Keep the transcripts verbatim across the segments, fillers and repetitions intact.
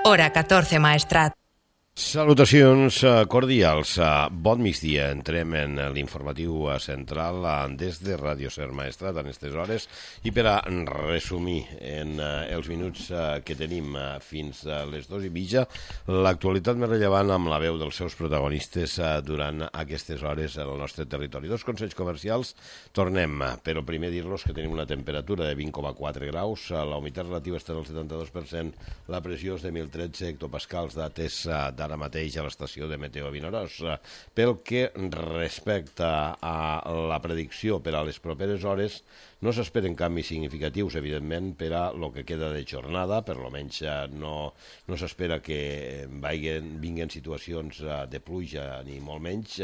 Hora catorze, Maestrat. Salutacions cordials. Bon migdia. Entrem en l'informatiu central des de Ràdio Ser Maestrat en aquestes hores i per a resumir en els minuts que tenim fins a les dues i mitja l'actualitat més rellevant amb la veu dels seus protagonistes durant aquestes hores en el nostre territori. Dos consells comercials. Tornem, però primer dir-los que tenim una temperatura de vint coma quatre graus, la humitat relativa està al setanta-dos per cent, la pressió és de mil tretze hectopascals, dates de ara mateix a l'estació de Meteo Vinaròs. Pel que respecta a la predicció per a les properes hores, no s'esperen canvis significatius, evidentment, per a el que queda de jornada, per almenys no, no s'espera que vagin, vinguin situacions de pluja, ni molt menys,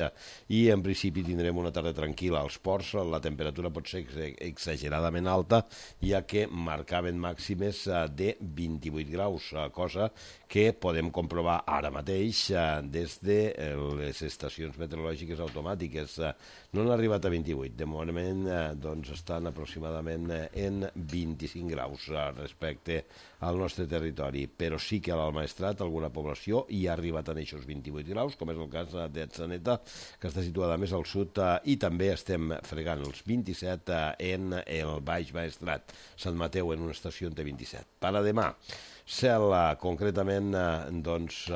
i en principi tindrem una tarda tranquil·la als ports. La temperatura pot ser exageradament alta, ja que marcaven màximes de vint-i-vuit graus, cosa que podem comprovar ara mateix des de les estacions meteorològiques automàtiques. No han arribat a vint-i-vuit, de moment doncs, estan aproximadament en vint-i-cinc graus respecte al nostre territori, però sí que a l'Almaestrat alguna població hi ha arribat a aquests vint-i-vuit graus, com és el cas d'Atzeneta, que està situada més al sud, i també estem fregant els vint-i-set en el Baix Maestrat. Sant Mateu en una estació en té vint-i-set. Per a demà, cel concretament, doncs,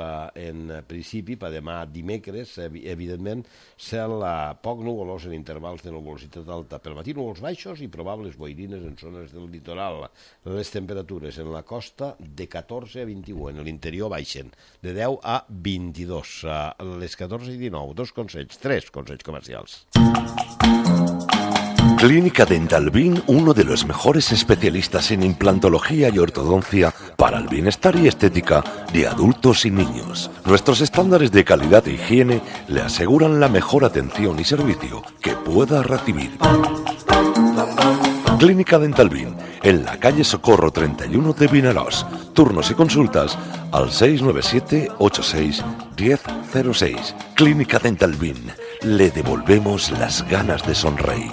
en principi, per demà dimecres, evidentment, cel poc nuvolós en intervals de nuvolositat alta. Pel matí núvols baixos i probables boirines en zones del litoral. Les temperatures en la costa de catorze a vint-i-u, en l'interior baixen de deu a vint-i-dos. Les catorze i dinou, dos consells, tres consells comercials. Clínica Dental Bin, uno de los mejores especialistas en implantología y ortodoncia para el bienestar y estética de adultos y niños. Nuestros estándares de calidad e higiene le aseguran la mejor atención y servicio que pueda recibir. Clínica Dental Bin, en la calle Socorro treinta y uno de Vinaròs. Turnos y consultas al seis nueve siete, ocho seis, uno cero cero seis. Clínica Dental Bin, le devolvemos las ganas de sonreír.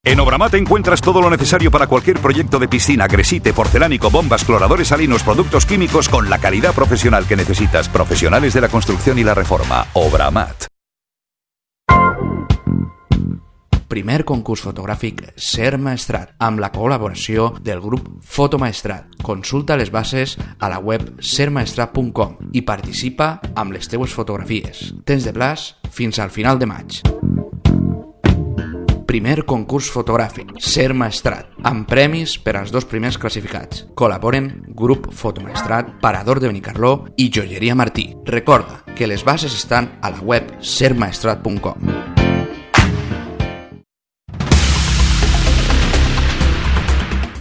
En Obramat encuentras todo lo necesario para cualquier proyecto de piscina, gresite, porcelánico, bombas, cloradores salinos, productos químicos con la calidad profesional que necesitas. Profesionales de la construcción y la reforma. Obramat. Primer concurs fotogràfic Ser Maestrat, amb la col·laboració del grup Fotomaestrat. Consulta les bases a la web ser maestrat punt com i participa amb les teues fotografies. Tens de plaç fins al final de maig. Primer concurs fotogràfic Ser Maestrat, amb premis per als dos primers classificats. Col·laboren Grup Fotomaestrat, Parador de Benicarló i Joieria Martí. Recorda que les bases estan a la web ser maestrat punt com.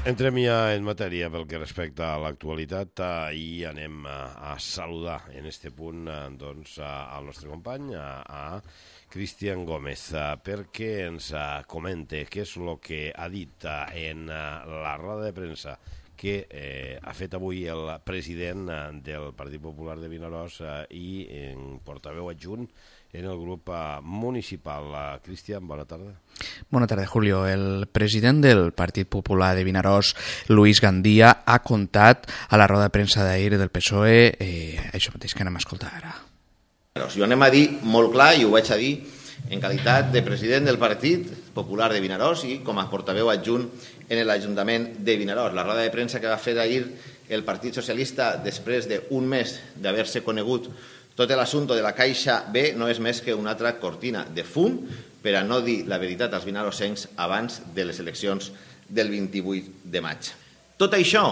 Entrem ja en matèria pel que respecta a l'actualitat i anem a saludar en este punt doncs, al nostre company, a Cristian Gómez, perquè ens comente què és el que ha dit en la roda de premsa que eh, ha fet avui el president del Partit Popular de Vinaròs i en portaveu adjunt en el grup municipal. Cristian, bona tarda. Bona tarda, Julio. El president del Partit Popular de Vinaròs, Luis Gandía, ha contat a la roda de premsa d'ahir del P S O E eh, això mateix que anem a escoltar ara. Jo anem a dir molt clar, i ho vaig a dir en qualitat de president del Partit Popular de Vinaròs i com a portaveu adjunt en l'Ajuntament de Vinaròs. La roda de premsa que va fer ahir el Partit Socialista després d'un mes d'haver-se conegut tot l'assumpte de la Caixa B no és més que una altra cortina de fum per a no dir la veritat als vinarossencs abans de les eleccions del vint-i-vuit de maig. Tot això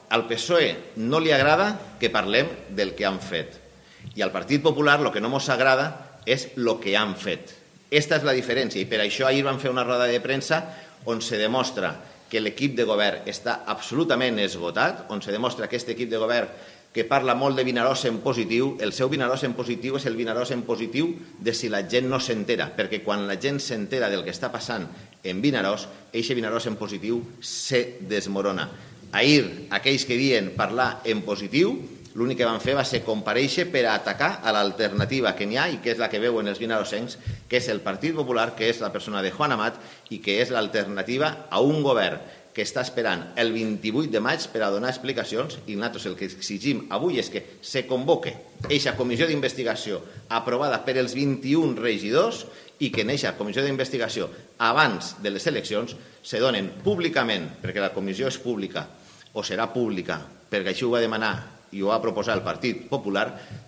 al P S O E no li agrada que parlem del que han fet i al Partit Popular el que no ens agrada és el que han fet. Esta és la diferència i per això ahir van fer una roda de premsa on se demostra que l'equip de govern està absolutament esgotat, on se demostra que aquest equip de govern que parla molt de Vinaròs en positiu, el seu Vinaròs en positiu és el Vinaròs en positiu de si la gent no s'entera, perquè quan la gent s'entera del que està passant en Vinaròs, eixe Vinaròs en positiu se desmorona. Ahir, aquells que diuen parlar en positiu, l'únic que van fer va ser comparèixer per a atacar a l'alternativa que n'hi ha i que és la que veuen els vinarossencs, que és el Partit Popular, que és la persona de Juan Amat i que és l'alternativa a un govern que està esperant el vint-i-vuit de maig per a donar explicacions, i nosaltres el que exigim avui és que se convoque eixa comissió d'investigació aprovada per els vint-i-un regidors i que en eixa comissió d'investigació abans de les eleccions se donen públicament, perquè la comissió és pública o serà pública, perquè així ho va demanar i ho va proposar el Partit Popular,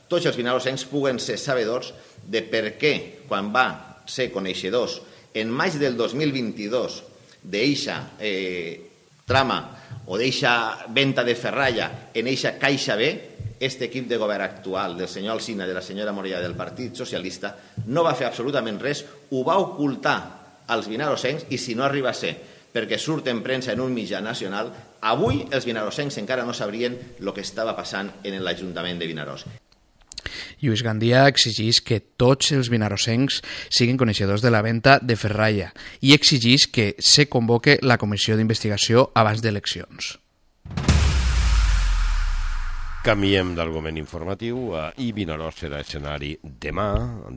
tots els vinarosencs puguen ser sabedors de per què, quan va ser coneixedors en maig del dos mil vint-i-dos d'eixa eh, trama o d'eixa venta de ferralla en eixa Caixa B, este equip de govern actual del senyor Alsina i de la senyora Morella del Partit Socialista no va fer absolutament res, ho va ocultar als vinarosencs i si no arriba a ser perquè surt en premsa en un mitjà nacional, avui els vinarosencs encara no sabrien el que estava passant en l'Ajuntament de Vinaròs. Lluís Gandia exigeix que tots els vinarosencs siguin coneixedors de la venda de ferralla i exigeix que se convoque la comissió d'investigació abans d'eleccions. Canviem d'argument informatiu eh, i Vinaròs serà escenari demà,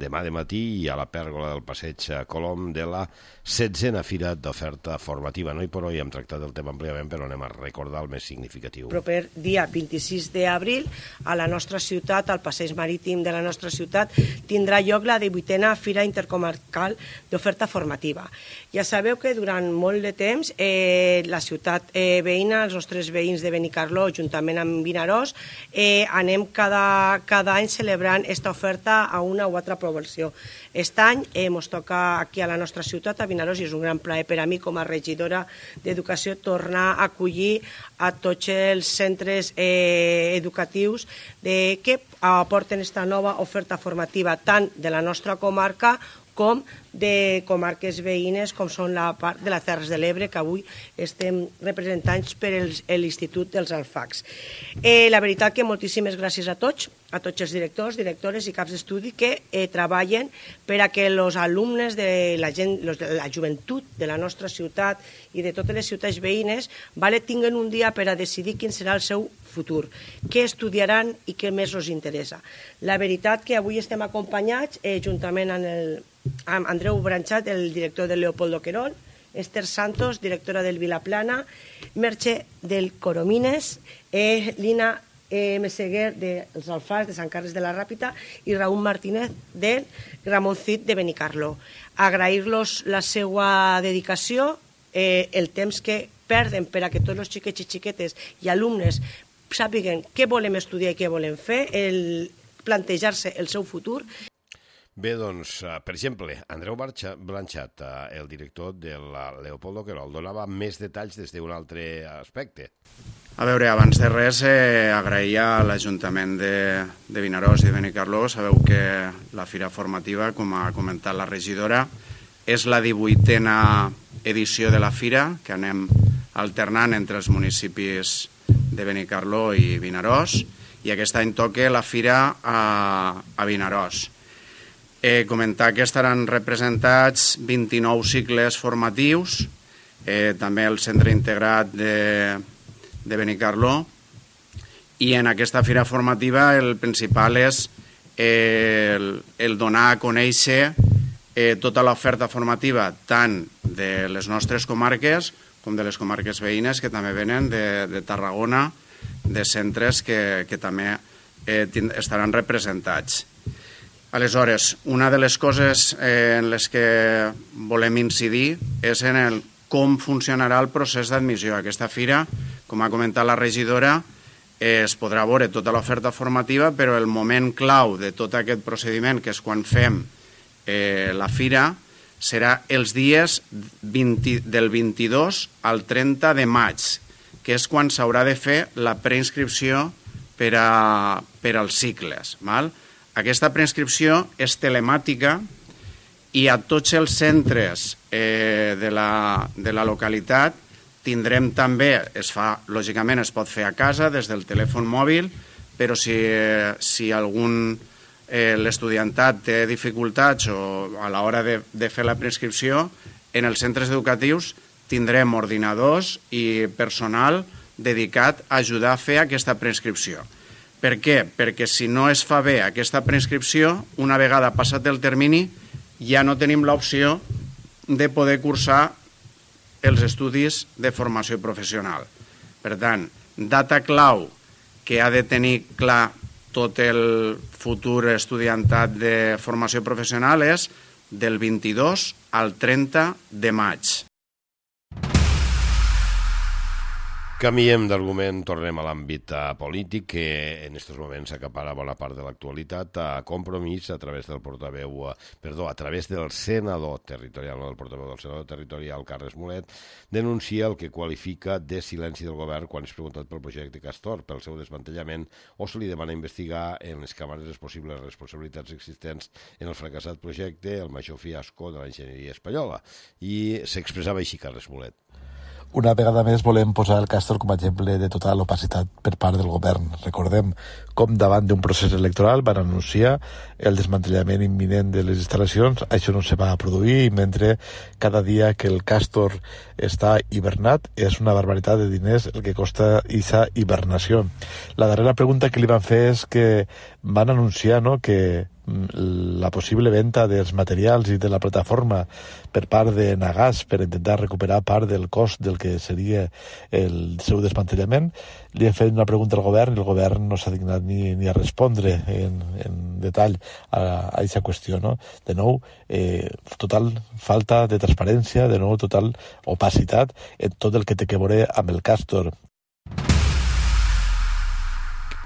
demà de matí i a la pèrgola del Passeig Colom de la setzena Fira d'Oferta Formativa. No hi per hoy hem tractat el tema àmpliament, però anem a recordar el més significatiu. Proper dia vint-i-sis d'abril, a la nostra ciutat, al passeig marítim de la nostra ciutat, tindrà lloc la divuitena Fira Intercomarcal d'Oferta Formativa. Ja sabeu que durant molt de temps eh, la ciutat eh, veïna, els nostres veïns de Benicarló, juntament amb Vinaròs, eh, anem cada, cada any celebrant aquesta oferta a una o altra població. Aquest any eh, ens toca aquí a la nostra ciutat, a Vinaròs, i és un gran plaer per a mi com a regidora d'Educació tornar a acollir a tots els centres eh, educatius de, que aporten aquesta nova oferta formativa tant de la nostra comarca com de comarques veïnes, com són la part de les Terres de l'Ebre, que avui estem representats per l'Institut dels Alfacs. Eh, la veritat que moltíssimes gràcies a tots, a tots els directors, directores i caps d'estudi que eh, treballen per a que els alumnes de la, gent, los, de la joventut de la nostra ciutat i de totes les ciutats veïnes vale, tinguen un dia per a decidir quin serà el seu futur, què estudiaran i què més els interessa. La veritat que avui estem acompanyats, eh, juntament amb, el, amb Andreu Branchat, el director del Leopoldo Querol, Esther Santos, directora del Vilaplana, Merche del Coromines, eh, Lina eh, Meseguer dels Alfars de Sant Carles de la Ràpita i Raúl Martínez del Gramoncit de Benicarló. Agrair-los la seva dedicació, eh, el temps que perden per a que tots els xiquets i xiquetes i alumnes sàpiguen què volem estudiar i què volem fer, el plantejar-se el seu futur. Bé, doncs, per exemple, Andreu Blanchat, el director del Leopoldo Querol, donava més detalls des d'un altre aspecte. A veure, abans de res, eh, agrair a l'Ajuntament de, de Vinaròs i de Benicarló. Sabeu que la fira formativa, com ha comentat la regidora, és la divuitena edició de la fira, que anem alternant entre els municipis de Benicarló i Vinaròs, i aquest any toca la fira a, a Vinaròs. Eh, comentar que estaran representats vint-i-nou cicles formatius, eh, també el centre integrat de, de Benicarló, i en aquesta fira formativa el principal és eh, el, el donar a conèixer eh, tota l'oferta formativa tant de les nostres comarques com de les comarques veïnes que també venen de, de Tarragona, de centres que, que també eh, estaran representats. Aleshores, una de les coses eh, en les que volem incidir és en el com funcionarà el procés d'admissió a aquesta fira. Com ha comentat la regidora, eh, es podrà veure tota l'oferta formativa, però el moment clau de tot aquest procediment, que és quan fem eh, la fira, serà els dies vint, del vint-i-dos al trenta de maig, que és quan s'haurà de fer la preinscripció per, a, per als cicles. Val? Aquesta preinscripció és telemàtica i a tots els centres eh, de, la, de la localitat tindrem també, es fa, lògicament es pot fer a casa des del telèfon mòbil, però si, eh, si algun eh, l'estudiantat té dificultats o a l'hora de, de fer la preinscripció, en els centres educatius tindrem ordinadors i personal dedicat a ajudar a fer aquesta preinscripció. Per què? Perquè si no es fa bé aquesta preinscripció, una vegada passat el termini, ja no tenim l'opció de poder cursar els estudis de formació professional. Per tant, data clau que ha de tenir clar tot el futur estudiantat de formació professional és del vint-i-dos al trenta de maig. Canviem d'argument, tornem a l'àmbit polític, que en aquests moments acapara bona part de l'actualitat. A Compromís, a través del portaveu, perdó, a través del senador territorial, no del portaveu del senador territorial, Carles Mulet, denuncia el que qualifica de silenci del govern quan és preguntat pel projecte Castor, pel seu desmantellament, o se li demana investigar en les càmeres les possibles responsabilitats existents en el fracassat projecte, el major fiasco de l'enginyeria espanyola. I s'expressava així Carles Mulet. Una vegada més volem posar el Castor com a exemple de total opacitat per part del govern. Recordem com davant d'un procés electoral van anunciar el desmantellament imminent de les instal·lacions. Això no se va produir i mentre cada dia que el Castor està hibernat és una barbaritat de diners el que costa aquesta hibernació. La darrera pregunta que li van fer és que van anunciar, no, que la possible venda dels materials i de la plataforma per part de Nagas per intentar recuperar part del cost del que seria el seu desmantellament. Li hem fet una pregunta al govern i el govern no s'ha dignat ni, ni a respondre en, en detall a aquesta qüestió. No? De nou, eh, total falta de transparència, de nou total opacitat en tot el que té que veure amb el Castor.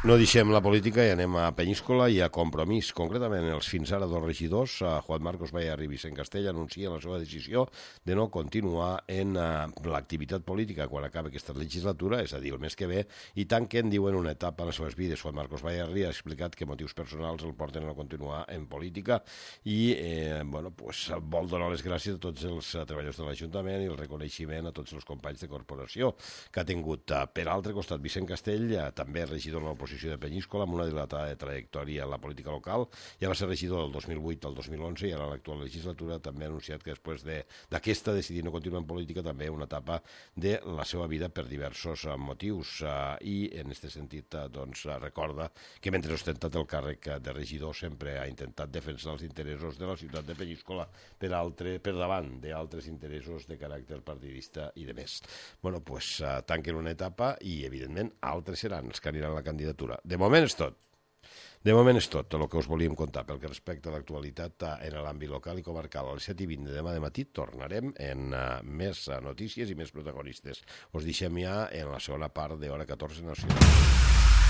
No deixem la política i anem a Peníscola i a Compromís. Concretament, els fins ara dos regidors, Juan Marcos Bayarri i Vicent Castell, anuncien la seva decisió de no continuar en uh, l'activitat política quan acabi aquesta legislatura, és a dir, el mes que ve, i tanquen, diuen, una etapa en les seves vides. Juan Marcos Bayarri ha explicat que motius personals el porten a no continuar en política i eh, bueno, pues, vol donar les gràcies a tots els treballadors de l'Ajuntament i el reconeixement a tots els companys de corporació que ha tingut. Per altre costat, Vicent Castell, eh, també regidor en l'oposició de Peníscola, amb una dilatada trajectòria en la política local, ja va ser regidor del dos mil vuit al dos mil onze i ara a l'actual legislatura també ha anunciat que després d'aquesta decidir no continuar en política també una etapa de la seva vida per diversos uh, motius uh, i en aquest sentit uh, doncs, uh, recorda que mentre ha ostentat el càrrec de regidor sempre ha intentat defensar els interessos de la ciutat de Peníscola per, altre, per davant d'altres interessos de caràcter partidista i de més. Bueno, pues uh, tanquen una etapa i evidentment altres seran els que aniran a la candidatura. De moment és tot. De moment és tot el que us volíem contar pel que respecta a l'actualitat en l'àmbit local i comarcal. A les set i vint de demà de matí tornarem en uh, més uh, notícies i més protagonistes. Us deixem ja en la segona part d'Hora catorze Nacional.